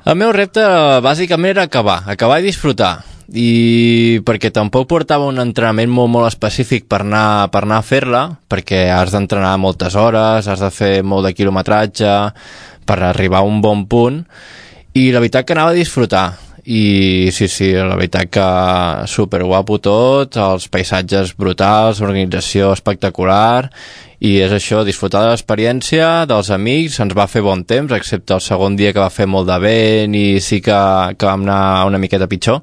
El meu repte bàsicament era acabar i disfrutar, i perquè tampoc portava un entrenament molt específic per anar a fer-la, perquè has d'entrenar moltes hores, has de fer molt de quilometratge per arribar a un bon punt, i la veritat que anava a disfrutar. I sí, la veritat que superguapo tot, els paisatges brutals, organització espectacular, i és això, disfrutar de l'experiència, dels amics. Ens va fer bon temps, excepte el segon dia que va fer molt de vent i sí que vam anar una miqueta pitjor,